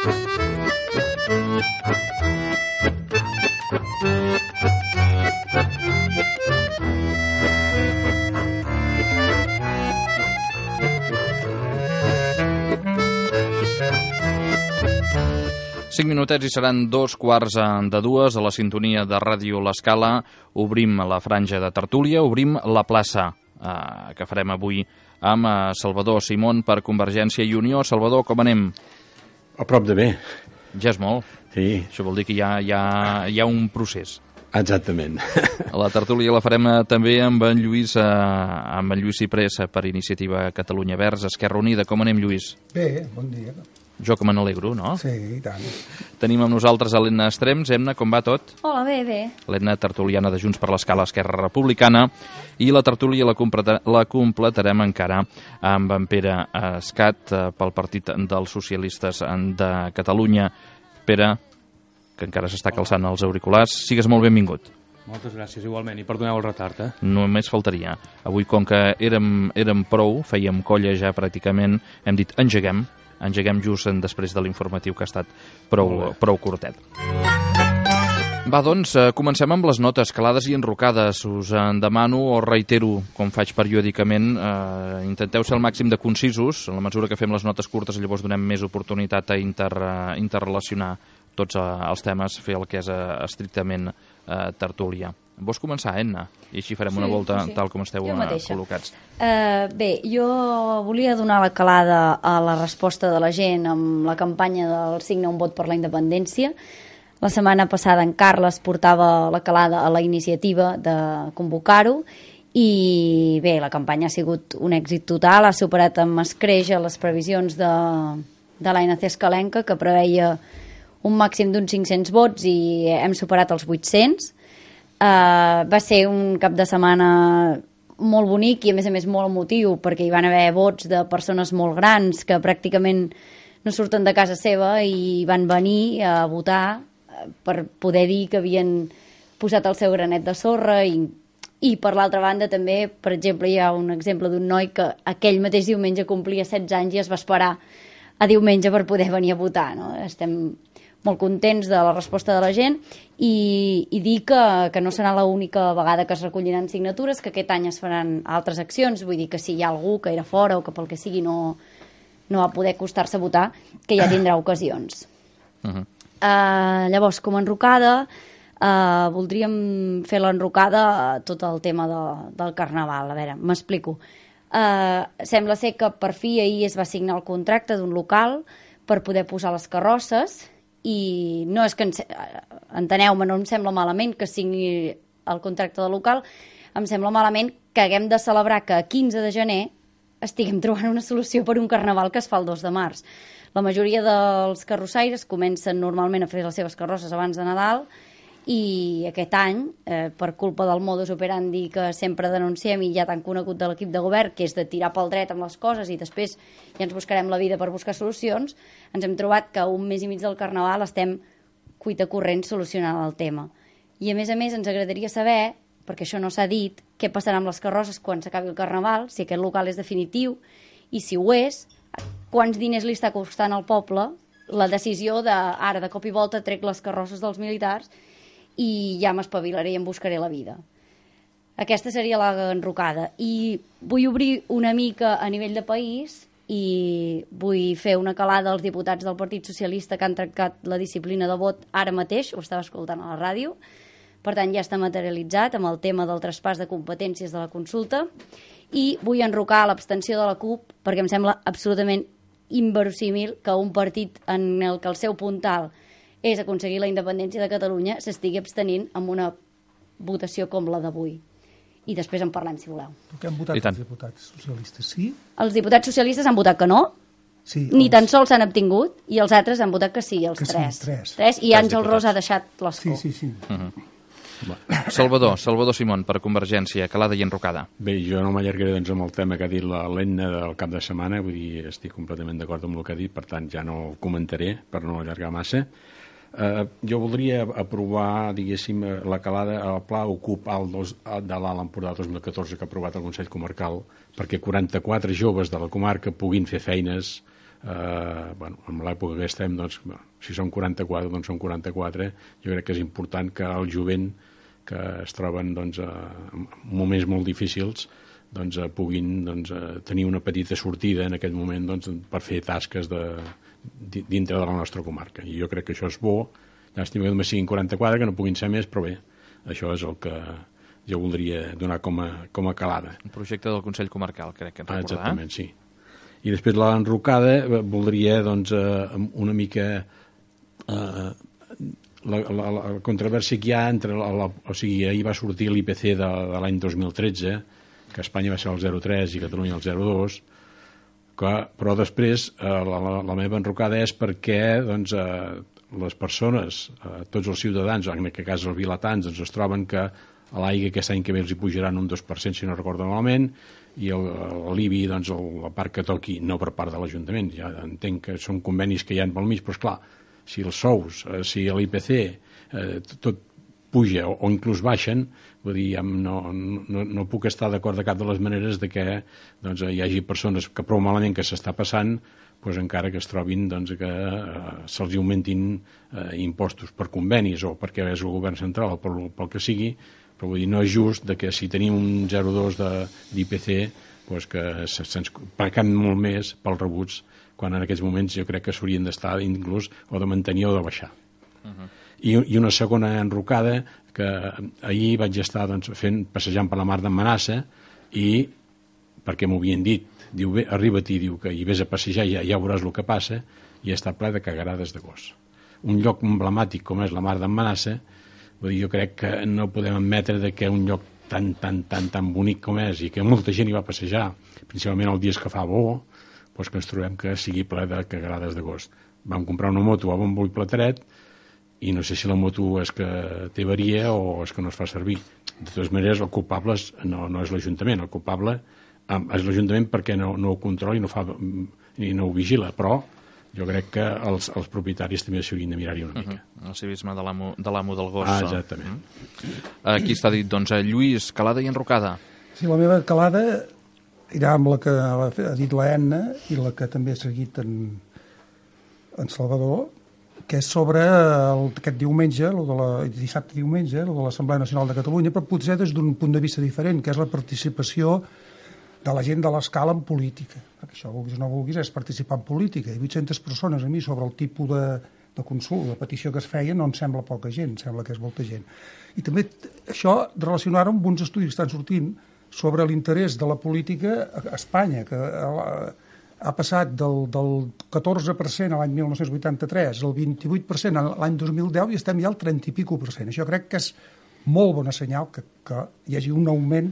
Cinc minutets i seran 2:15 a la sintonia de Ràdio L'Escala. Obrim la franja de tertúlia, obrim la plaça que farem avui amb Salvador Simón per Convergència i Unió. Salvador, com anem? A prop de bé. Ja és molt. Sí. Això vol dir que hi ha un procés. Exactament. La tertúlia la farem també amb en Lluís Ciprés per Iniciativa Catalunya Verds, Esquerra Unida. Com anem, Lluís? Bé, bon dia. Jo que me n'alegro, no? Sí, i tant. Tenim amb nosaltres a l'Edna Estrems. Edna, com va tot? Hola, bé. L'Edna, tertuliana de Junts per l'Escala, Esquerra Republicana. I la tertúlia la completarem encara amb en Pere Escat pel Partit dels Socialistes de Catalunya. Pere, que encara s'està calçant els auriculars, sigues molt benvingut. Moltes gràcies, igualment, i perdoneu el retard, Només faltaria. Avui, com que érem prou, fèiem colla ja pràcticament, hem dit engeguem just després de l'informatiu que ha estat prou curtet. Va, doncs, comencem amb les notes calades i enrocades. Us en demano o reitero, com faig periòdicament, intenteu ser el màxim de concisos. En la mesura que fem les notes curtes, llavors donem més oportunitat a interrelacionar tots els temes, fer el que és estrictament tertúlia. Vols començar, Edna? I així farem una volta tal com esteu col·locats. Bé, jo volia donar la calada a la resposta de la gent amb la campanya del Signa un vot per la independència. La setmana passada en Carles portava la calada a la iniciativa de convocar-ho i bé, la campanya ha sigut un èxit total, ha superat amb escreix les previsions de l'ANC Escalenca, que preveia un màxim d'uns 500 vots i hem superat els 800. Va ser un cap de setmana molt bonic i a més molt emotiu, perquè hi van haver vots de persones molt grans que pràcticament no surten de casa seva i van venir a votar per poder dir que havien posat el seu granet de sorra i per l'altra banda també, per exemple, hi ha un exemple d'un noi que aquell mateix diumenge complia 16 anys i es va esperar a diumenge per poder venir a votar, no? Estem molt contents de la resposta de la gent i dir que no serà l'única vegada que es recolliran signatures, que aquest any es faran altres accions, vull dir que si hi ha algú que era fora o que pel que sigui no va poder acostar-se a votar, que ja tindrà ocasions. Llavors, com a enrocada, voldríem fer l'enrocada a tot el tema del Carnaval. A veure, m'explico. Sembla ser que per fi ahir es va signar el contracte d'un local per poder posar les carrosses i no és que, enteneu-me, no em sembla malament que signi el contracte del local, em sembla malament que haguem de celebrar que a 15 de gener estiguem trobant una solució per un carnaval que es fa el 2 de març. La majoria dels carrossaires comencen normalment a fer les seves carrosses abans de Nadal i aquest any, per culpa del modus operandi que sempre denunciem i ja tan conegut de l'equip de govern, que és de tirar pel dret amb les coses i després ja ens buscarem la vida per buscar solucions, ens hem trobat que un mes i mig del Carnaval estem cuita corrent solucionant el tema. I a més ens agradaria saber, perquè això no s'ha dit, què passarà amb les carrosses quan s'acabi el Carnaval, si aquest local és definitiu i si ho és, quants diners li està costant al poble la decisió de ara de cop i volta trec les carrosses dels militars i ja m'espavilaré i em buscaré la vida. Aquesta seria l'enrocada. I vull obrir una mica a nivell de país i vull fer una calada als diputats del Partit Socialista que han tractat la disciplina de vot ara mateix, ho estava escoltant a la ràdio, per tant ja està materialitzat amb el tema del traspàs de competències de la consulta, i vull enrocar l'abstenció de la CUP perquè em sembla absolutament inverosímil que un partit en el que el seu puntal és aconseguir la independència de Catalunya s'estigui abstenint amb una votació com la d'avui. I després en parlem, si voleu. Què han votat els diputats socialistes, sí? Els diputats socialistes han votat que no, sí, ni tan sols s'han abtingut, i els altres han votat que sí, els que tres. Sí, tres. I Àngel Ros ha deixat l'escó. Sí. Salvador Simón, per Convergència, calada i enrocada. Bé, jo no m'allargaré amb el tema que ha dit l'Edna del cap de setmana, vull dir, estic completament d'acord amb el que ha dit, per tant ja no ho comentaré per no allargar massa. Jo voldria aprovar, diguéssim, la calada al pla Ocup de l'Alt Empordà 2014 que ha aprovat el Consell Comarcal perquè 44 joves de la comarca puguin fer feines en l'època que estem, doncs, si són 44, doncs són 44. Jo crec que és important que el jovent que es troben doncs, en moments molt difícils doncs, puguin doncs, tenir una petita sortida en aquest moment doncs, per fer tasques dintre de la nostra comarca. I jo crec que això és bo. Llàstima que només siguin 44, que no puguin ser més, però bé, això és el que jo voldria donar com a calada. Un projecte del Consell Comarcal, crec que recordar. Exactament, sí. I després l'enrocada voldria doncs, una mica la controvèrsia que hi ha entre o sigui, ahir va sortir l'IPC de l'any 2013, que Espanya va ser el 0,3 i Catalunya el 0,2, però després la meva enrocada és perquè doncs, les persones, tots els ciutadans, en aquest cas els vilatans, doncs, es troben que a l'aigua aquest any que ve els hi pujaran un 2%, si no recordo malament, i l'IBI, doncs, la part que toqui, no per part de l'Ajuntament, ja entenc que són convenis que hi ha pel mig, però esclar, si els sous, si l'IPC, tot puja o inclús baixen, vull dir, no puc estar d'acord de cap de les maneres de que doncs, hi hagi persones que prou malament que s'està passant, doncs, encara que es trobin doncs, que se'ls augmentin impostos per convenis o perquè és el govern central o pel que sigui, però vull dir, no és just de que si tenim un 0,2 d'IPC doncs que se'ns paguen molt més pels rebuts, quan en aquests moments jo crec que s'haurien d'estar inclús o de mantenir o de baixar. I una segona enrocada, que ahir vaig estar doncs, passejant per la mar d'Emmanassa i, perquè m'ho havien dit, diu, bé, arriba-t'hi, diu que hi vés a passejar i ja veuràs el que passa, i està ple de cagarades de gos. Un lloc emblemàtic com és la mar d'Emmanassa, jo crec que no podem admetre que un lloc tan bonic com és i que molta gent hi va passejar, principalment els dies que fa bo, doncs que ens trobem que sigui ple de cagarades de gos. Vam comprar una moto a bombo i plateret i no sé si la moto és que té avaria o és que no es fa servir. De totes maneres, el culpable no és l'Ajuntament, el culpable és l'Ajuntament perquè no ho controla i no ho vigila, però jo crec que els propietaris també s'haurien de mirar-hi una mica. El civisme de l'amo del gos. Exactament. Aquí està dit, doncs, Lluís, calada i enrocada. Sí, la meva calada irà amb la que ha dit la Enna i la que també ha seguit en Salvador, que és sobre aquest diumenge, dissabte diumenge, de l'Assemblea Nacional de Catalunya, però potser des d'un punt de vista diferent, que és la participació de la gent de l'escala en política. Perquè això, vulguis o no vulguis, és participar en política. I 800 persones a mi sobre el tipus de consult, de petició que es feia, no em sembla poca gent, sembla que és molta gent. I també això relacionar-ho amb uns estudis que estan sortint sobre l'interès de la política a Espanya, que ha passat del 14% a l'any 1983 al 28% l'any 2010 i estem ja al 30 i pico %. Això crec que és molt bona senyal que hi hagi un augment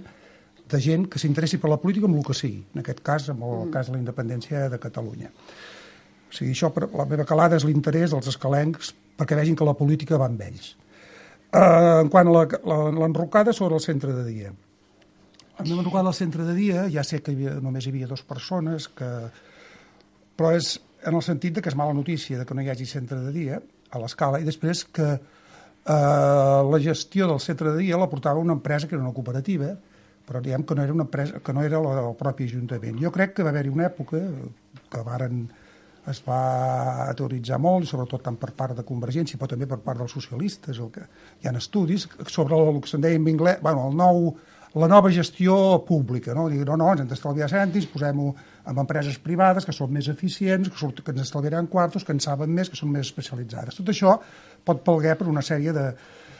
de gent que s'interessi per la política amb el que sigui, en aquest cas, amb el cas de la independència de Catalunya. O sigui, això, la meva calada és l'interès dels escalencs perquè vegin que la política va amb ells. En quant a l'enrocada sobre el centre de dia. La meva enrocada al centre de dia, ja sé que només hi havia 2 persones, però és en el sentit que és mala notícia de que no hi hagi centre de dia a l'escala, i després que la gestió del centre de dia la portava una empresa que era una cooperativa, però diguem que no era una empresa, que no era el propi Ajuntament. Jo crec que va haver-hi una època que es va teoritzar molt, sobretot tant per part de Convergència, però també per part dels socialistes, hi ha estudis sobre el que se'n deia en anglès, la nova gestió pública, no? Dir, no, ens hem d'estalviar cèntims, posem-ho en empreses privades que són més eficients, que ens estalviaran quartos, que en saben més, que són més especialitzades. Tot això pot palgar per una sèrie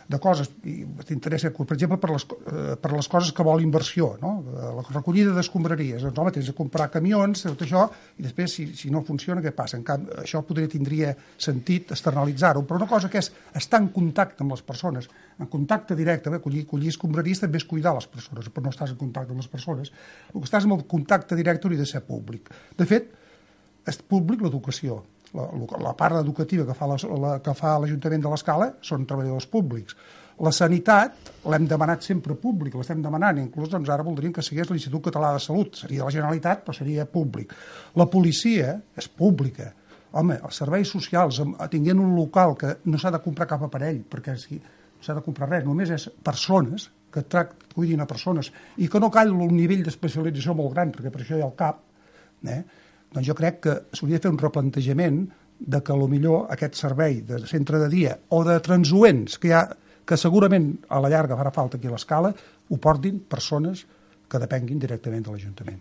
de coses, i t'interessa, per exemple, per les coses que vol inversió, no? La recollida d'escombraries, doncs, home, tens de comprar camions, tot això, i després, si no funciona, què passa? En canvi, això tindria sentit externalitzar-ho, però una cosa que és estar en contacte amb les persones, en contacte directe, collir escombraries també és cuidar les persones, però no estàs en contacte amb les persones. El que estàs en el contacte directe hauria de ser públic. De fet, és públic l'educació. La part educativa que fa l'Ajuntament de l'Escala són treballadors públics. La sanitat l'hem demanat sempre públic, l'estem demanant, inclús doncs, ara voldríem que sigués l'Institut Català de Salut, seria de la Generalitat, però seria públic. La policia és pública. Home, els serveis socials, tinguent un local que no s'ha de comprar cap aparell, perquè no s'ha de comprar res, només és persones, que cuidin a persones, i que no cal un nivell d'especialització molt gran, perquè per això hi ha el CAP, Doncs jo crec que s'hauria de fer un replantejament de que millor aquest servei de centre de dia o de transuents que segurament a la llarga farà falta aquí a l'Escala, ho portin persones que depenguin directament de l'Ajuntament.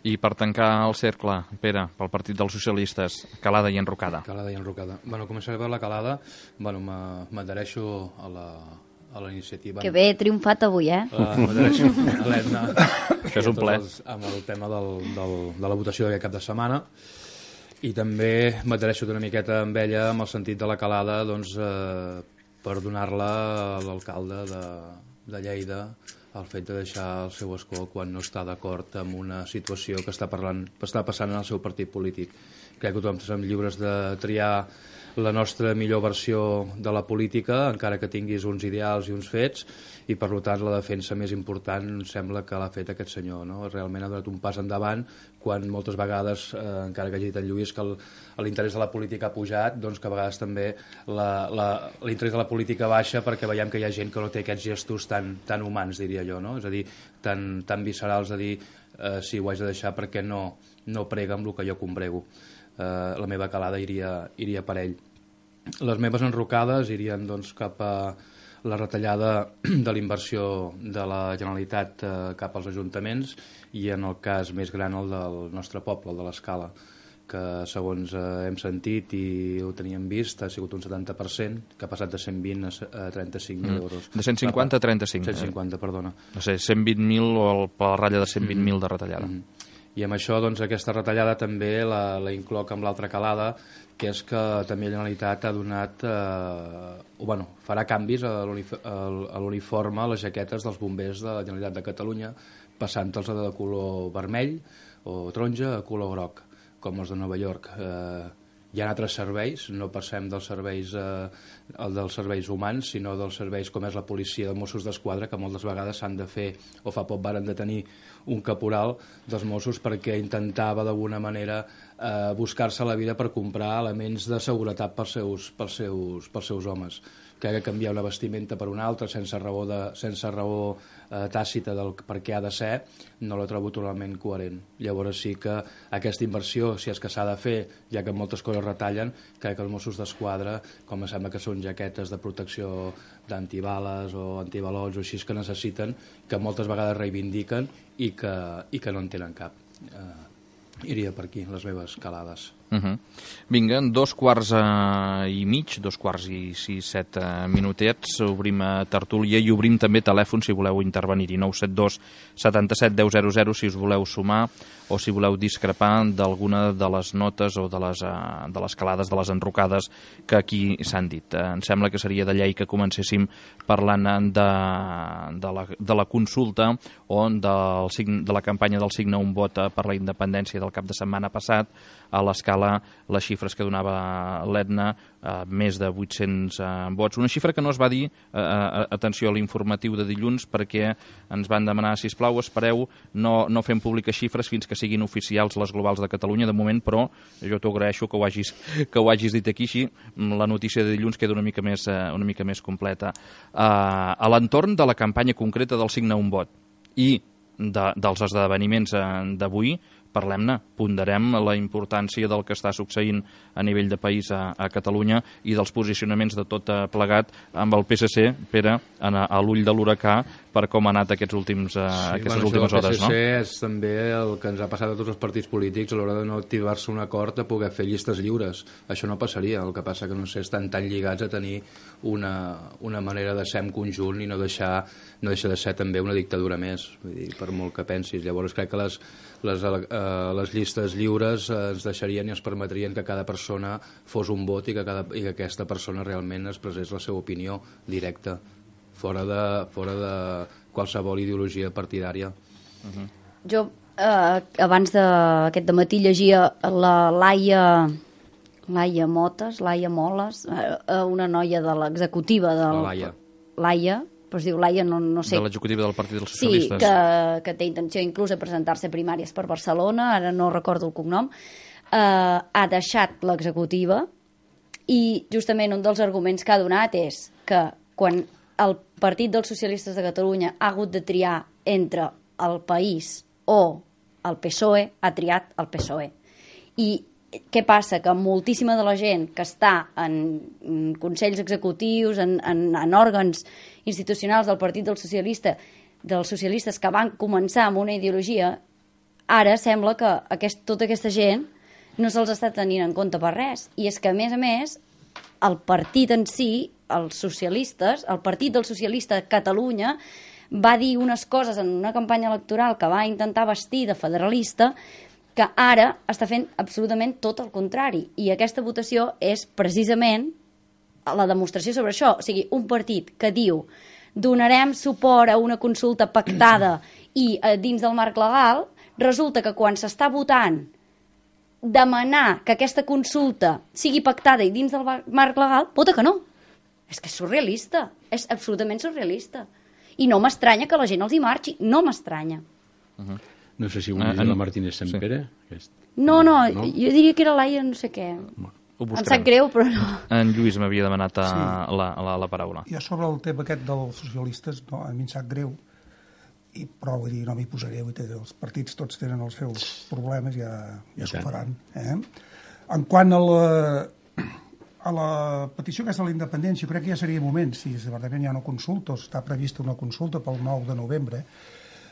I per tancar el cercle, Pere, pel Partit dels Socialistes, calada i enrocada. Calada i enrocada. Bueno, començaré per la calada. Bueno, m'adhereixo a la iniciativa. Que bé, he triomfat avui, M'adhereixo a l'Edna. Això és un ple. Amb el tema de la votació d'aquest cap de setmana. I també m'adhereixo una miqueta amb ella amb el sentit de la calada, doncs, per donar-la a l'alcalde de Lleida el fet de deixar el seu escó quan no està d'acord amb una situació que està passant en el seu partit polític. Crec que tothom som lliures de triar la nostra millor versió de la política, encara que tinguis uns ideals i uns fets, i per tant la defensa més important sembla que l'ha fet aquest senyor, no? Realment ha donat un pas endavant quan moltes vegades, encara que hagi dit en Lluís que l'interès de la política ha pujat, doncs que a vegades també l'interès de la política baixa perquè veiem que hi ha gent que no té aquests gestos tan humans, diria jo, no? És a dir, tan viscerals de dir si ho haig de deixar perquè no prega amb el que jo combrego. La meva calada iria per ell. Les meves enrocades irien doncs, cap a la retallada de l'inversió de la Generalitat cap als ajuntaments i en el cas més gran el del nostre poble, el de l'Escala, que segons hem sentit i ho teníem vist ha sigut un 70%, que ha passat de 120 a 35.000 euros. De 150 a 35. 150, perdona. No sé, 120.000 o per la ratlla de 120.000 de retallada. I amb això, doncs, aquesta retallada també la incloc amb l'altra calada, que és que també la Generalitat ha donat, farà canvis a l'uniforme, a les jaquetes dels bombers de la Generalitat de Catalunya, passant-los de color vermell o taronja a color groc, com els de Nova York. Hi ha altres serveis, no passem dels serveis humans, sinó dels serveis com és la policia de Mossos d'Esquadra, que moltes vegades s'han de fer, o fa poc varen de tenir un caporal dels Mossos perquè intentava d'alguna manera buscar-se la vida per comprar elements de seguretat pels seus homes. Que canviar una vestimenta per una altra sense raó tàcita del per què ha de ser, no la trobo totalment coherent. Llavors sí que aquesta inversió, si és que s'ha de fer, ja que moltes coses retallen, crec que els Mossos d'Esquadra, com sembla que són jaquetes de protecció d'antibales o antibalots o així que necessiten, que moltes vegades reivindiquen i que no en tenen cap. Iria per aquí, les meves calades. Vinga, 2:15, 2:06, 7 obrim tertúlia i obrim també telèfon si voleu intervenir-hi, 972 77 10 00 si us voleu sumar o si voleu discrepar d'alguna de les notes o de les calades, de les enrocades que aquí s'han dit. Em sembla que seria de llei que comencéssim parlant de la consulta o de la campanya del Signe un vot per la independència del cap de setmana passat. A l'Escala, les xifres que donava l'Edna, més de 800 vots. Una xifra que no es va dir, atenció a l'informatiu de dilluns, perquè ens van demanar, sisplau, espereu, no fem públiques xifres fins que siguin oficials les globals de Catalunya, de moment, però jo t'ho agraeixo que ho hagis dit aquí, així la notícia de dilluns queda una mica més completa. A l'entorn de la campanya concreta del Signe un vot i dels esdeveniments d'avui, parlem-ne, ponderem la importància del que està succeint a nivell de país a Catalunya i dels posicionaments de tot plegat amb el PSC, Pere, a l'ull de l'huracà per com ha anat aquestes últimes hores, no? El PSC és també el que ens ha passat a tots els partits polítics a l'hora de no activar-se un acord a poder fer llistes lliures. Això no passaria, el que passa que no sé, estan tan lligats a tenir una manera de ser en conjunt i no deixa de ser també una dictadura més, vull dir, per molt que pensis. Llavors crec que les llistes lliures ens deixarien i ens permetrien que cada persona fos un vot i que aquesta persona realment expressés la seva opinió directa, fora de qualsevol ideologia partidària. Jo, abans d'aquest dematí, llegia la Laia Moles, una noia de l'executiva de Laia, però es diu Laia, no sé. De l'executiva del Partit dels Socialistes. Sí, que té intenció inclús de presentar-se a primàries per Barcelona, ara no recordo el cognom, ha deixat l'executiva i justament un dels arguments que ha donat és que quan el Partit dels Socialistes de Catalunya ha hagut de triar entre el País o el PSOE, ha triat el PSOE. I què passa? Que moltíssima de la gent que està en consells executius, en òrgans institucionals del Partit dels socialistes que van començar amb una ideologia, ara sembla que tota aquesta gent no se'ls està tenint en compte per res. I és que, a més, el partit en si, els socialistes, el Partit del Socialista de Catalunya, va dir unes coses en una campanya electoral que va intentar vestir de federalista, que ara està fent absolutament tot el contrari. I aquesta votació és precisament la demostració sobre això. O sigui, un partit que diu donarem suport a una consulta pactada i dins del marc legal, resulta que quan s'està votant demanar que aquesta consulta sigui pactada i dins del marc legal, vota que no. És que és surrealista, és absolutament surrealista. I no m'estranya que la gent els hi marxi, no m'estranya. No sé si ho diu la Martínez Sempere. No, jo diria que era l'Aia no sé què. Em sap greu, però no. En Lluís m'havia demanat la paraula. Jo sobre el tema aquest dels socialistes, no, a mi em sap greu, però vull dir, no m'hi posaré, els partits tots tenen els seus problemes, ja s'ho faran. En quant a la petició aquesta de la independència, crec que ja seria moment, si verdament hi ha una consulta, o està prevista una consulta pel 9 de novembre.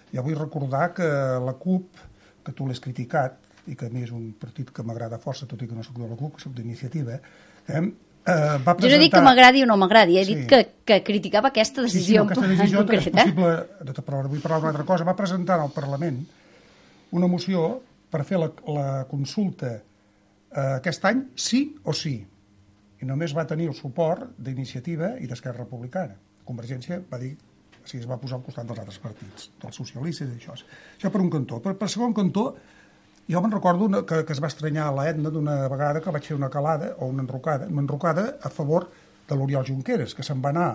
Ja vull recordar que la CUP, que tu l'has criticat, i que a mi és un partit que m'agrada força, tot i que no soc de la CUP, que soc d'Iniciativa, va presentar... Jo no dic que m'agradi o no m'agradi, he dit que criticava aquesta decisió en concret. Sí, és possible, però vull parlar d'una altra cosa. Va presentar al Parlament una moció per fer la consulta aquest any sí o sí. I només va tenir el suport d'Iniciativa i d'Esquerra Republicana. Convergència va dir, es va posar al costat dels altres partits, dels socialistes i això. Això per un cantó. Per segon cantó, jo me'n recordo que es va estranyar a l'Etna d'una vegada que vaig fer una calada o una enrocada a favor de l'Oriol Junqueras, que se'n va anar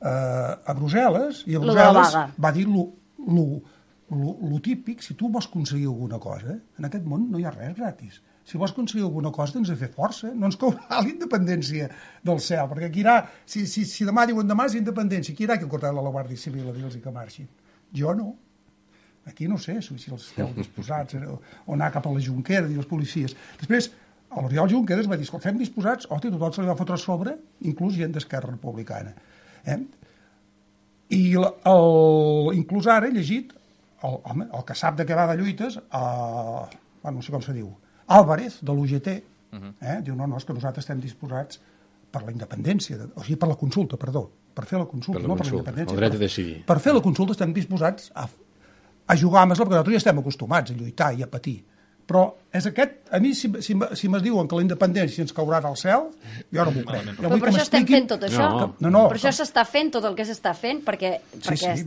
a Brussel·les i a Brussel·les va dir lo típic, si tu vols aconseguir alguna cosa, en aquest món no hi ha res gratis. Si vols aconseguir alguna cosa, tens de fer força. No ens caurà la independència del cel, perquè aquí irà, si demà diuen demà és independència, aquí irà que cortar la Guàrdia Civil a dir-los que marxin. Jo no. Aquí no sé si els esteu disposats o anar cap a la Junquera, dir els policies. Després, l'Oriol Junqueras va dir, estem disposats, tothom se li va fotre a sobre, inclús gent d'Esquerra Republicana. I inclús ara he llegit el que sap de què va de lluites, no sé com se diu, Álvarez, de l'UGT, diu, no, és que nosaltres estem disposats per la independència, o sigui, per la consulta, perdó, per fer la consulta, no per la independència. El dret a decidir. Per fer la consulta estem disposats a jugar amb esla, perquè nosaltres ja estem acostumats a lluitar i a patir. Però és aquest, a mi, si m'es diuen que la independència ens caurà del cel, jo no m'ho crec. Però per això estem fent tot això. No. Per això s'està fent tot el que s'està fent, perquè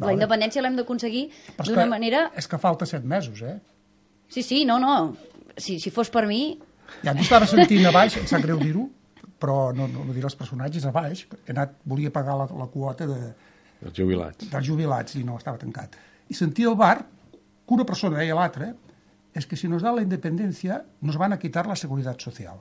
la independència l'hem d'aconseguir d'una manera... És que falta 7 mesos, Sí, no. Si fos per mi... Ja m'ho estava sentint a baix, em sap greu dir-ho, però no diré els personatges a baix, perquè volia pagar la quota dels jubilats i no, estava tancat. I sentia al bar que una persona deia a l'altra, és que si nos da la independència nos van a quitar la seguretat social.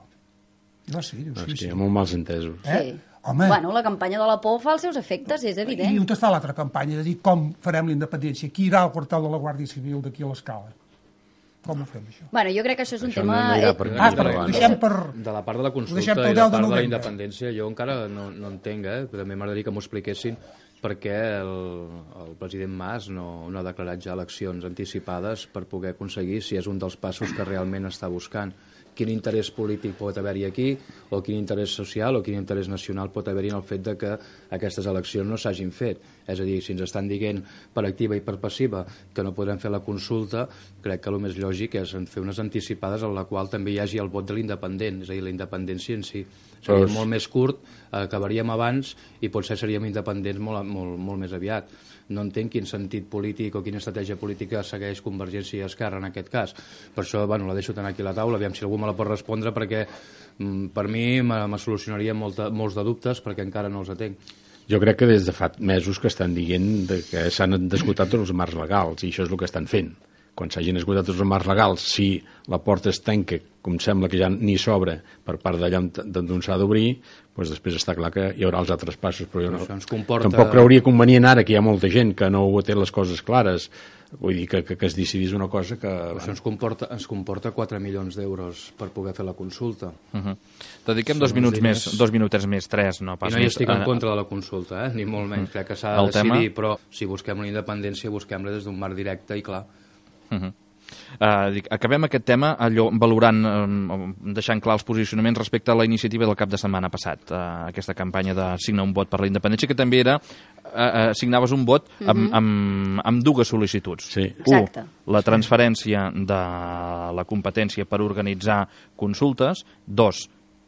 I va ser, diu, sí. És que hi ha molt mals entesos. Sí. Home. Bueno, la campanya de la por fa els seus efectes, és evident. I on està l'altra campanya de dir com farem la independència? Qui irà al quartel de la Guàrdia Civil d'aquí a l'Escala? Com ho fem, això? Bueno, jo crec que això és un tema... De la part de la consulta i de la part de la independència, jo encara no entenc, també m'agradaria que m'ho expliquessin perquè el president Mas no ha declarat ja eleccions anticipades per poder aconseguir si és un dels passos que realment està buscant. Quin interès polític pot haver-hi aquí, o quin interès social o quin interès nacional pot haver-hi en el fet de que aquestes eleccions no s'hagin fet. És a dir, si ens estan dient per activa i per passiva que no podrem fer la consulta, crec que el més lògic és fer unes anticipades en la qual també hi hagi el vot de l'independent, és a dir, la independència en si. Seria molt més curt, acabaríem abans i potser seríem independents molt més aviat. No entenc quin sentit polític o quina estratègia política segueix Convergència i Esquerra en aquest cas. Per això, la deixo tant aquí a la taula, aviam si algú me la pot respondre, perquè per mi me solucionaria molts de dubtes, perquè encara no els atenc. Jo crec que des de fa mesos que estan dient que s'han d'esgotar tots els marcs legals, i això és el que estan fent. quan s'hagin esgotat tots els marcs legals, si la porta es tanca, com sembla que ja ni s'obre per part d'allà d'on s'ha d'obrir, doncs després està clar que hi haurà els altres passos, però jo tampoc creuria convenient ara que hi ha molta gent que no ho té les coses clares, vull dir que es decidís una cosa que... Això ens comporta 4 milions d'euros per poder fer la consulta. Dediquem 2 minutets més, 3, no pas més. I no hi més. estic en contra de la consulta, ni molt menys. Crec que s'ha de decidir, però si busquem una independència, busquem-la des d'un marc directe i clar. Acabem aquest tema valorant, deixant clar els posicionaments respecte a la iniciativa del cap de setmana passat, aquesta campanya de signar un vot per la independència, que també era signaves un vot amb dues sol·licituds. Sí. La transferència de la competència per organitzar consultes. 2,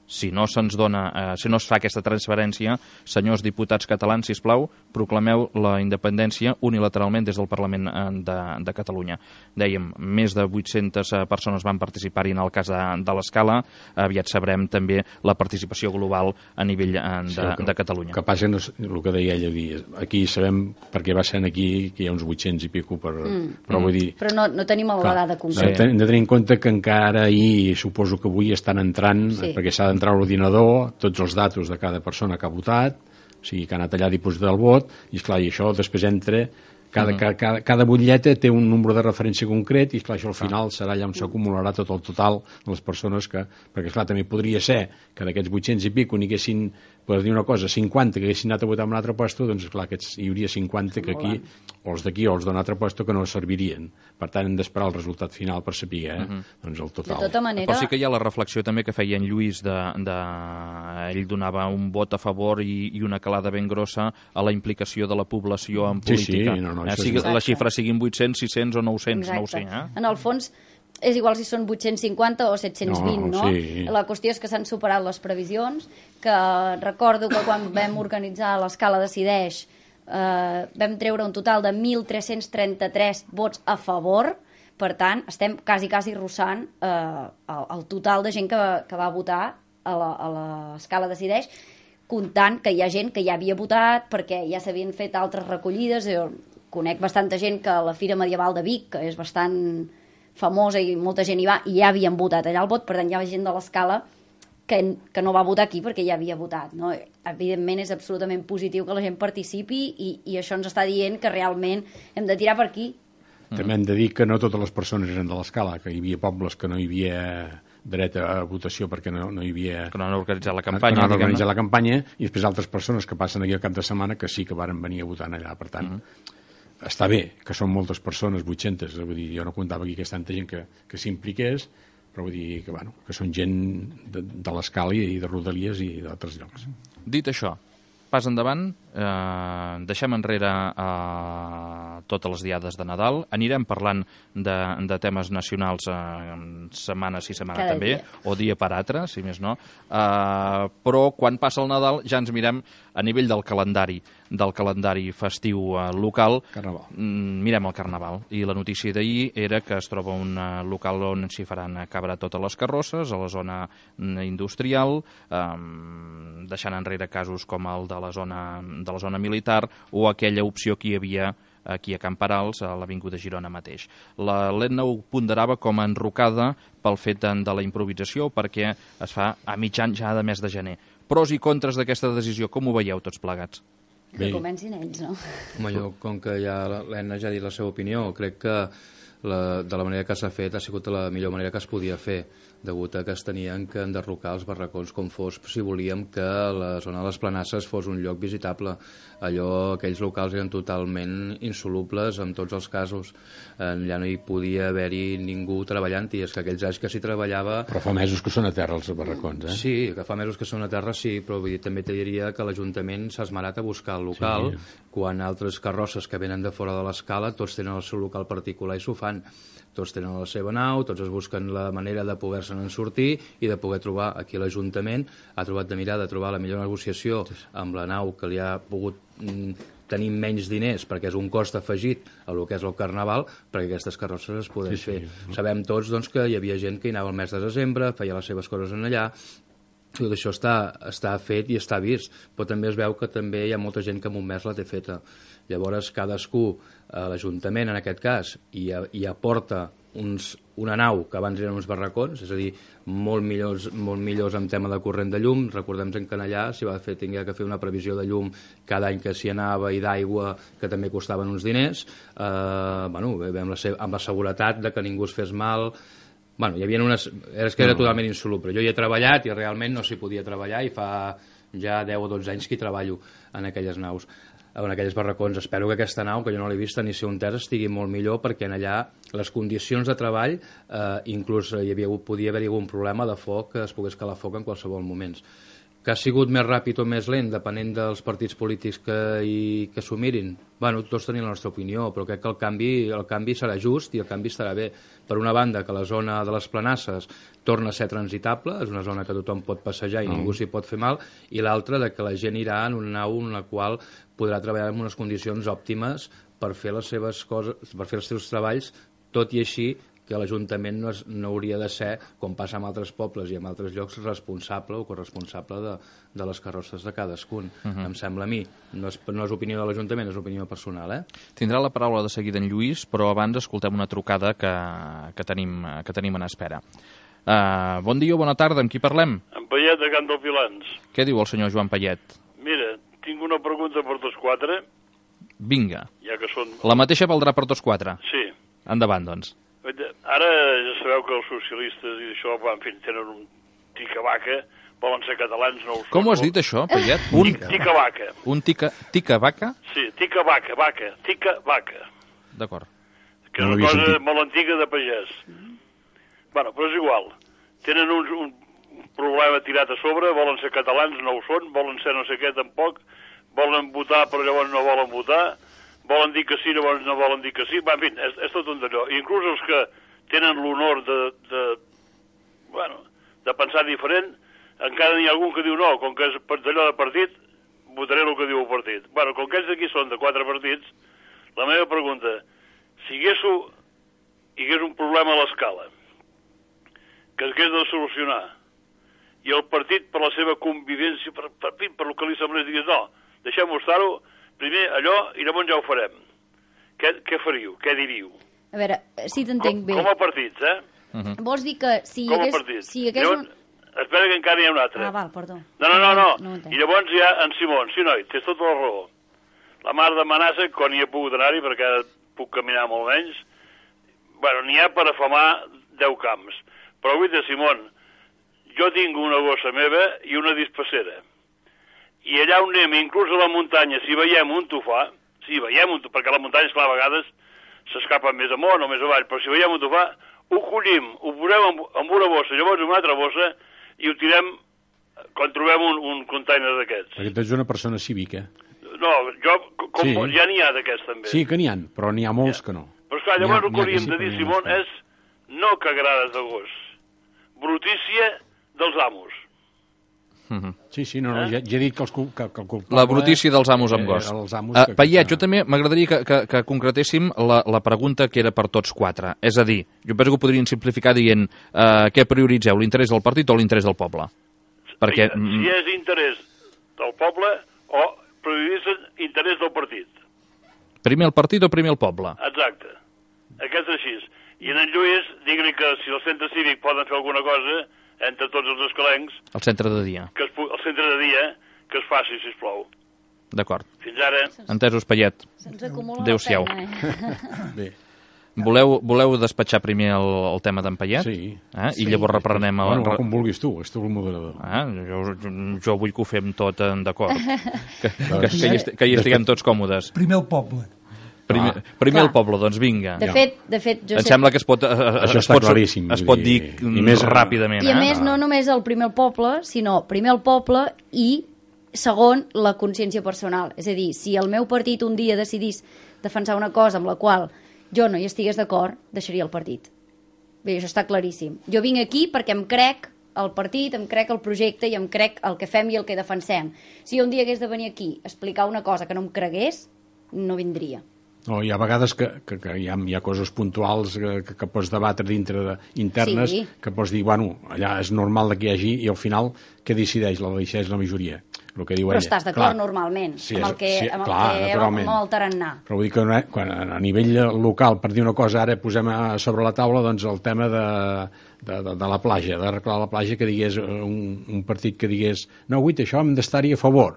si no se'ns dona, si no es fa aquesta transferència, senyors diputats catalans, sisplau, proclameu la independència unilateralment des del Parlament de Catalunya. Dèiem, més de 800 persones van participar-hi en el cas de l'Escala. Aviat sabrem també la participació global a nivell de Catalunya. El que passa és el que deia ella, aquí sabem, perquè va ser aquí, que hi ha uns 800 i pico, però vull dir... Però no tenim la dada concreta. Hem de tenir en compte que encara ahir, suposo que avui estan entrant, perquè s'ha d'entrar a l'ordinador, tots els datos de cada persona que ha votat, o sigui, que ha anat allà a dipositar el vot, i esclar, i això després entra... Cada butlleta té un número de referència concret i, esclar, això al final serà allà on s'acumularà tot el total de les persones que... Perquè, esclar, també podria ser que d'aquests 800 i pico n'hi haguessin, per dir una cosa, 50 que haguessin anat a votar en un altre puesto, doncs, esclar, hi hauria 50 que aquí, o els d'aquí o els d'un altre puesto, que no servirien. Per tant, hem d'esperar el resultat final per saber, doncs, el total. De tota manera... Però sí que hi ha la reflexió també que feia en Lluís ell donava un vot a favor i una calada ben grossa a la implicació de la població en política. La xifra siguin 800, 600 o 900, no ho sé. En el fons, és igual si són 850 o 720, no? Sí. La qüestió és que s'han superat les previsions, que recordo que quan vam organitzar l'Escala Decideix vam treure un total de 1.333 vots a favor, per tant, estem quasi rossant el total de gent que va votar a l'Escala Decideix, comptant que hi ha gent que ja havia votat perquè ja s'havien fet altres recollides. Jo conec bastanta gent que a la Fira Medieval de Vic, que és bastant famosa i molta gent hi va, i ja havien votat allà el vot, per tant hi ha gent de l'Escala que no va votar aquí perquè ja havia votat, no? Evidentment és absolutament positiu que la gent participi i això ens està dient que realment hem de tirar per aquí. També hem de dir que no totes les persones eren de l'Escala, que hi havia pobles que no hi havia dret a votació perquè no hi havia... Que no han organitzat la campanya. Que no han organitzat la campanya, i després altres persones que passen aquí al cap de setmana que sí que varen venir a votar allà, per tant... Està bé que són moltes persones, 800, vull dir, jo no comptava aquí que és tanta gent que s'impliqués, però vull dir que, bueno, que són gent de l'Escala i de Rodalies i d'altres llocs. Dit això, pas endavant, deixem enrere totes les diades de Nadal, anirem parlant de temes nacionals setmana sí, setmana cada també, dia. o dia per altre, si més no, però quan passa el Nadal ja ens mirem a nivell del calendari festiu local, mirem el Carnaval, i la notícia d'ahir era que es troba un local on s'hi faran cabre totes les carrosses, a la zona industrial, deixant enrere casos com el de la zona militar o aquella opció que hi havia aquí a Camperals, a l'Avinguda Girona mateix. L'Etna ho ponderava com a enrocada pel fet de la improvisació, perquè es fa a mitjan ja de mes de gener. Pros i contres d'aquesta decisió, com ho veieu tots plegats? Que comencin ells, no? Home, jo, com que ja l'Etna ja ha dit la seva opinió, crec que de la manera que s'ha fet ha sigut la millor manera que es podia fer, degut a que es tenien que enderrocar els barracons com fos, si volíem que la zona de les Planasses fos un lloc visitable. Aquells locals eren totalment insolubles en tots els casos. Ja no hi podia haver-hi ningú treballant, i és que aquells anys que s'hi treballava... Però fa mesos que són a terra els barracons, eh? Sí, que fa mesos que són a terra, sí, però vull dir, també te diria que l'Ajuntament s'ha esmerat a buscar el local, quan altres carrosses que venen de fora de l'Escala tots tenen el seu local particular i s'ho fan. Tots tenen la seva nau, tots es busquen la manera de poder-se'n sortir i de poder trobar. Aquí l'Ajuntament ha trobat de trobar la millor negociació amb la nau, que li ha pogut tenir menys diners perquè és un cost afegit a el que és el Carnaval, perquè aquestes carrosses es poden fer. Sabem tots, doncs, que hi havia gent que hi anava el mes de desembre, feia les seves coses en allà, tot això està fet i està vist, però també es veu que també hi ha molta gent que en un mes la té feta. Llavors cadascú, l'Ajuntament en aquest cas, hi aporta una nau que abans eren uns barracons, és a dir, molt millors en tema de corrent de llum. Recordem que allà s'hi va tingué que fer una previsió de llum cada any que s'hi anava i d'aigua, que també costaven uns diners, amb la seguretat de que ningú es fes mal. Hi havia és que era totalment insoluble. Jo hi he treballat i realment no s'hi podia treballar i fa ja 10 o 12 anys que hi treballo en aquelles naus, en aquells barracons. Espero que aquesta nau, que jo no l'he vista ni sé on és, estigui molt millor, perquè en allà les condicions de treball, inclús podia haver-hi algun problema de foc, que es pogués calar foc en qualsevol moment. Que ha sigut més ràpid o més lent, depenent dels partits polítics que s'ho mirin. Tots tenim la nostra opinió, però crec que el canvi serà just i el canvi estarà bé. Per una banda, que la zona de les Planasses torna a ser transitable, és una zona que tothom pot passejar i ningú s'hi pot fer mal, i l'altra, que la gent irà en una nau en la qual podrà treballar en unes condicions òptimes per fer les seves coses, per fer els seus treballs, tot i així que l'Ajuntament no hauria de ser, com passa en altres pobles i en altres llocs, responsable o corresponsable de les carrosses de cadascun. Em sembla a mi. No és opinió de l'Ajuntament, és opinió personal. Tindrà la paraula de seguida en Lluís, però abans escoltem una trucada que tenim en espera. Bon dia o bona tarda, amb qui parlem? En Payet, de Can dels Vilans. Què diu el senyor Joan Payet? Mira, tinc una pregunta per tots quatre. Vinga. Ja que són... La mateixa valdrà per tots quatre? Sí. Endavant, doncs. Ara ja sabeu que els socialistes i això, en fi, tenen un tica-vaca, volen ser catalans, no ho són. Com ho has dit, això, Payet? Tica-vaca. Un tica-vaca? Sí, tica-vaca, tica-vaca. D'acord. Que és una cosa molt antiga de pagès. Però és igual. Tenen un problema tirat a sobre, volen ser catalans, no ho són, volen ser no sé què tampoc, volen votar però llavors no volen votar, volen dir que sí, llavors no volen dir que sí. En fi, és tot un d'allò. Inclús els que tenen l'honor de pensar diferent, encara n'hi ha algun que diu no, com que és d'allò de partit, votaré el que diu el partit. Com que ells aquí són de 4 partits, la meva pregunta, si hi hagués un problema a l'escala, que s'hagués de solucionar, i el partit, per la seva convivència, per el que li semblés, digués, no, deixem-ho estar-ho, primer allò, i llavors ja ho farem. Què faríeu? Què diríeu? A veure, si t'entenc bé. Com a partits, Vols dir que si hi hagués... Llavors, espera que encara hi ha un altre. Val, perdó. No. I llavors hi ha en Simón. Sí, noi, tens tota la raó. La mar de Manassa, quan hi he pogut anar-hi, perquè ara puc caminar molt menys, n'hi ha per afamar 10 camps. Però avui de Simón, jo tinc una gossa meva i una dispassera. I allà on anem, inclús a la muntanya, si veiem un tufà, perquè la muntanya, esclar, a vegades s'escapen més amunt o més avall, però si veiem un tufà, ho collim, ho posem en una bossa, llavors en una altra bossa, i ho tirem quan trobem un container d'aquests. Perquè tu ets una persona cívica. No, ja n'hi ha d'aquests també. Sí que n'hi ha, però n'hi ha molts que no. Però esclar, llavors el que hauríem de dir, Simón, és no cagarades de gos, brutícia dels amos. Sí, ja he dit que el culpable... La brutícia dels amos amb gos. Payet, jo també m'agradaria que concretéssim la pregunta que era per tots quatre. És a dir, jo penso que ho podrien simplificar dient què prioritzeu, l'interès del partit o l'interès del poble? Perquè... Si és interès del poble o prioritzen interès del partit. Primer el partit o primer el poble? Exacte. Aquest és així. I en Lluís, digui que si el centre cívic poden fer alguna cosa entre tots els escalencs... El centre de dia. El centre de dia, que es faci, sisplau. D'acord. Fins ara. Entesos, Payet. Se'ns acumula Adéu-siau. la feina, Bé. Voleu despatxar primer el tema d'en Payet? Sí. I llavors reprenem... Com vulguis tu, és tu el moderador. Jo vull que ho fem tot d'acord. Que hi estiguem tots còmodes. Primer el poble. Primer el poble, doncs vinga. De fet, jo em sembla que es pot claríssim. Es pot dir més ràpidament. I a més, no només el primer el poble, sinó primer el poble i segon, la consciència personal. És a dir, si el meu partit un dia decidís defensar una cosa amb la qual jo no hi estigués d'acord, deixaria el partit. Bé, això està claríssim. Jo vinc aquí perquè em crec el partit, em crec el projecte i em crec el que fem i el que defensem. Si jo un dia hagués de venir aquí a explicar una cosa que no em cregués, no vindria. No, hi ha vegades que hi ha coses puntuals que pots debatre dintre internes, que pots dir, bueno, allà és normal que hi hagi, i al final què decideix? La decideix la majoria. El que diu però ella. estàs d'acord normalment amb el tarannà. Però vull dir que quan a nivell local, per dir una cosa, ara posem sobre la taula doncs, el tema de la platja, d'arreglar la platja, que digués un partit que digués no, guaita, això hem d'estar-hi a favor,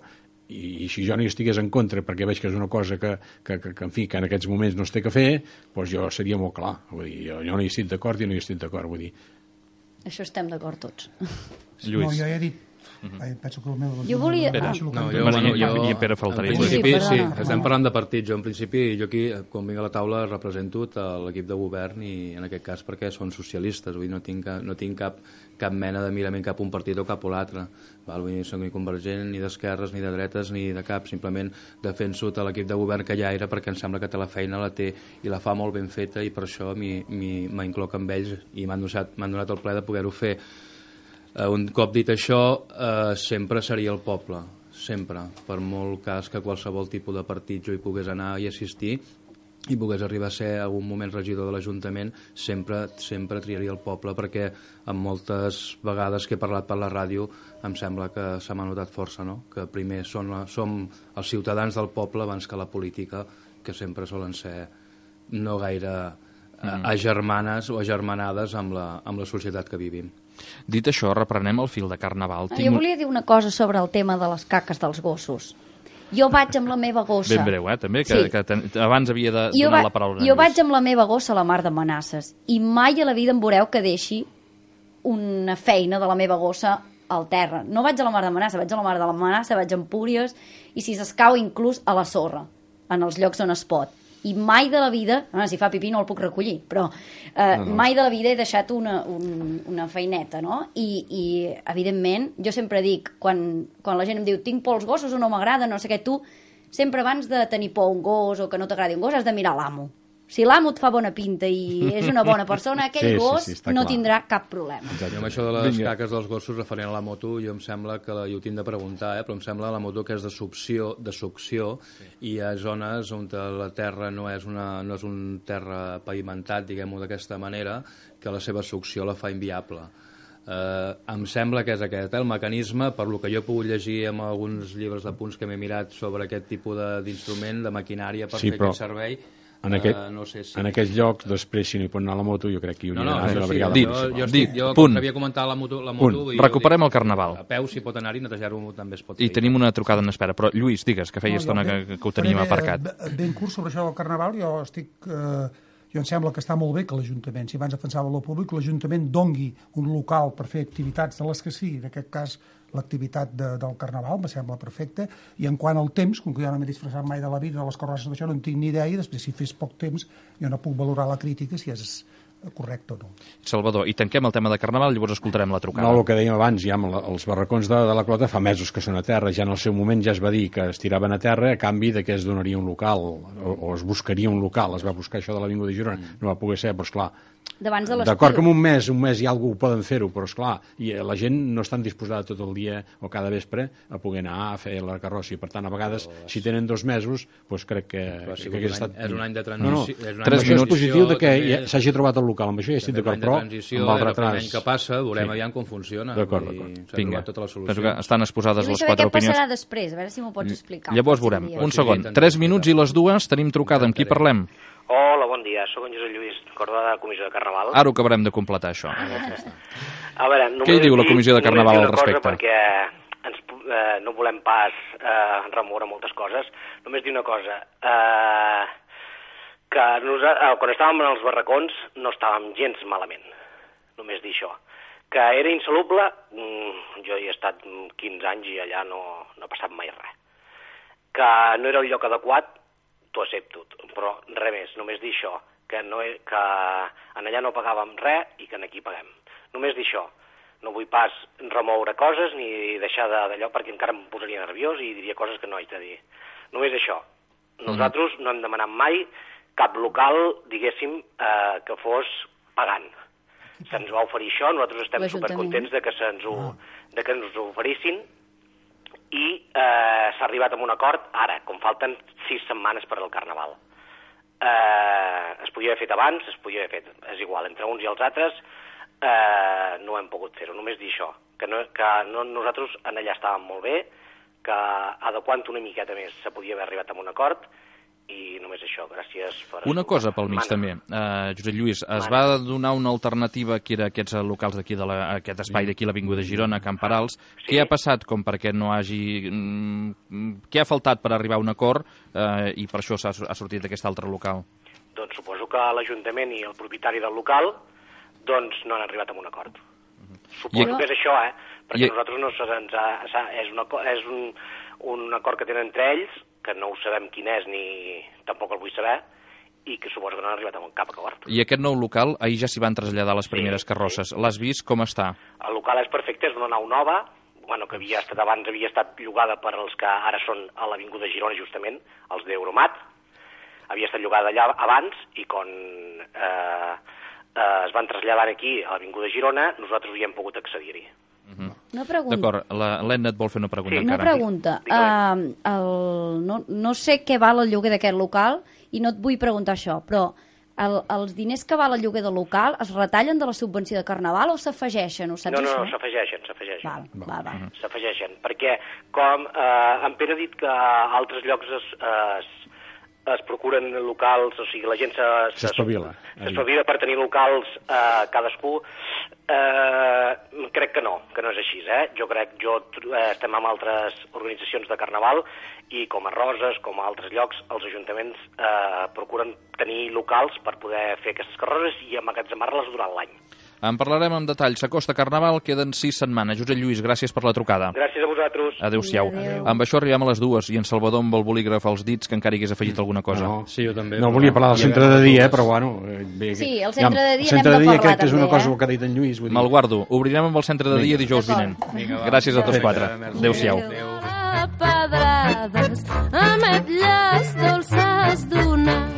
i si jo n'hi estigués en contra perquè veig que és una cosa que en fi, que en aquests moments no es té que fer, doncs jo seria molt clar. Vull dir, jo no hi estic d'acord i no hi estic d'acord. Vull dir. Això estem d'acord tots. Lluís. No, jo ja he dit. Penso que el meu... Jo volia... I Pere faltaria. En principi, sí, estem parlant de partits. Jo, en principi, jo aquí, quan vinc a la taula, represento l'equip de govern i, en aquest cas, perquè són socialistes. Vull dir, no tinc cap mena de mirament cap un partit o cap o l'altre. Vull dir, no soc ni convergent, ni d'esquerres, ni de dretes, ni de cap. Simplement defenso l'equip de govern que ja era, perquè em sembla que té la feina, la té i la fa molt ben feta, i per això m'incloc amb ells i m'han donat el ple de poder-ho fer. Un cop dit això, sempre seria el poble, sempre, per molt cas que qualsevol tipus de partit jo hi pogués anar i assistir i pogués arribar a ser algun moment regidor de l'Ajuntament, sempre triaria el poble, perquè en moltes vegades que he parlat per la ràdio em sembla que se m'ha notat força, no? Que primer som els ciutadans del poble abans que la política, que sempre solen ser no gaire agermanes o agermanades amb la societat que vivim. Dit això, reprenem el fil de Carnaval. Jo volia dir una cosa sobre el tema de les caques dels gossos. Jo vaig amb la meva gossa... Ben breu, també, que abans havia de donar la paraula. Jo vaig amb la meva gossa a la Mar de Manasses i mai a la vida em veureu que deixi una feina de la meva gossa al terra. No vaig a la Mar de Manasses, vaig a la Mar de la Manasses, vaig a Empúries i si s'escau inclús a la sorra, en els llocs on es pot. I mai de la vida, si fa pipí no el puc recollir, però mai de la vida he deixat una feineta, no? I evidentment, jo sempre dic, quan la gent em diu tinc por als gossos o no m'agrada, no sé què, tu sempre abans de tenir por a un gos o que no t'agradi un gos has de mirar l'amo. Si l'amo et fa bona pinta i és una bona persona, aquell gos no tindrà cap problema. Jo amb això de les caques dels gossos referent a la moto, jo em sembla que jo ho tinc de preguntar, però em sembla la moto que és de succió i hi ha zones on la terra no és un terra pavimentat, diguem-ho d'aquesta manera, que la seva succió la fa inviable. Em sembla que és aquest el mecanisme, per lo que jo he pogut llegir en alguns llibres de punts que m'he mirat sobre aquest tipus d'instrument, de maquinària per fer aquest servei. En aquests llocs, després, si no hi pot anar la moto, jo crec que hi hauria d'anar la brigada municipal. Jo com havia comentat la moto... Recuperem el Carnaval. A peu, si pot anar-hi, netejar-ho també es pot fer. I tenim una trucada en espera, però Lluís, digues, que feia estona que ho teníem aparcat. Ben curt sobre això del Carnaval, jo em sembla que està molt bé que l'Ajuntament, si abans defensava lo públic, l'Ajuntament dongui un local per fer activitats de les que sí, en aquest cas l'activitat del Carnaval, me sembla perfecte, i en quant al temps, com que jo no m'he disfressat mai de la vida, de les carrosses d'això, no en tinc ni idea, i després si fes poc temps jo no puc valorar la crítica si és correcte o no. Salvador, i tanquem el tema de Carnaval, llavors escoltarem la trucada. No, el que dèiem abans, ja els barracons de la Clota fa mesos que són a terra, ja en el seu moment ja es va dir que es tiraven a terra a canvi de que es donaria un local, o es buscaria un local, es va buscar això de l'Avinguda de Girona, no va poder ser, però esclar, d'acord que en un mes i alguna poden fer-ho, però esclar, i la gent no estan disposada tot el dia o cada vespre a poder anar a fer la carrossia, per tant a vegades si tenen 2 mesos doncs crec que hagués estat... És un any de transició. No, 3 minuts. És positiu que s'hagi trobat el local, amb això ja estic d'acord, però amb el retras... L'any que passa veurem aviam com funciona. D'acord. Vinga, penso que estan exposades les 4 opinions. Què passarà després? A veure si m'ho pots explicar. Llavors veurem. Un segon. 3 minuts i les 2 tenim trucada. Amb qui parlem? Hola, bon dia. Soc en Josep Lluís, Cordó de la Comissió de Carnaval. Ara ho acabarem de completar, això. A veure, què hi diu la Comissió de Carnaval al respecte? Perquè no volem pas remoure moltes coses. Només dir una cosa, que quan estàvem en els barracons no estàvem gens malament. Només dir això. Que era insoluble, jo hi he estat 15 anys i allà no ha passat mai res. Que no era el lloc adequat, t'ho accepto, però res més, només dir això, que en allà no pagàvem res i que aquí paguem. Només dir això, no vull pas remoure coses ni deixar d'allò perquè encara em posaria nerviós i diria coses que no haig de dir. Només això, nosaltres no hem demanat mai cap local, diguéssim, que fos pagant. Se'ns va oferir això, nosaltres estem supercontents de que ens ho oferissin, i s'ha arribat a un acord ara, com falten 6 setmanes per al Carnaval. Es podia haver fet abans, es podia haver fet, és igual, entre uns i els altres no hem pogut fer-ho, només dir això, que nosaltres en allà estàvem molt bé, que adequant una miqueta més se podia haver arribat a un acord, i només això, gràcies per... Una cosa pel mig també, Josep Lluís, es va donar una alternativa que era aquests locals d'aquí, aquest espai d'aquí, l'Avinguda Girona, Camp Perals. Què ha passat com perquè no hagi... Què ha faltat per arribar a un acord i per això ha sortit d'aquest altre local? Doncs suposo que l'Ajuntament i el propietari del local doncs no han arribat a un acord. Suposo que és això, perquè nosaltres no és un acord que tenen entre ells, que no ho sabem quin és ni tampoc el vull saber, i que suposo que no han arribat a cap acord. I aquest nou local, ahir ja s'hi van traslladar les primeres carrosses. L'has vist? Com està? El local és perfecte, és una nau nova, que abans havia estat llogada per als que ara són a l'Avinguda Girona, justament, els d'Euromat. Havia estat llogada allà abans, i quan es van traslladar aquí a l'Avinguda Girona, nosaltres hi hem pogut accedir-hi. Una pregunta. D'acord, l'Edna et vol fer una pregunta. Una pregunta. No sé què val el lloguer d'aquest local i no et vull preguntar això, però els diners que val el lloguer del local es retallen de la subvenció de Carnaval o s'afegeixen? Ho saps això? No, s'afegeixen. Val. S'afegeixen, perquè com en Pere ha dit que a altres llocs es procuren locals, o sigui, la gent s'espavila per tenir locals cadascú. Crec que no és així, Jo estem amb altres organitzacions de Carnaval i com a Roses, com a altres llocs, els ajuntaments procuren tenir locals per poder fer aquestes carrosses i emmagatzemar-les durant l'any. En parlarem en detall. S'acosta Carnaval, queden 6 setmanes. Josep Lluís, gràcies per la trucada. Gràcies a vosaltres. Adéu-siau. Amb això arribem a les 2 i en Salvador amb el bolígraf als dits que encara hi hagués afegit alguna cosa. Sí, jo també. No volia parlar del centre de dia, però bueno... Sí, el centre de dia n'hem de parlar també. crec que és una cosa que ha dit en Lluís. Me'l guardo. Obrirem amb el centre de dia dijous vinent. Gràcies a tots 4. Adéu-siau. Pedrades, ametlles dolces d'una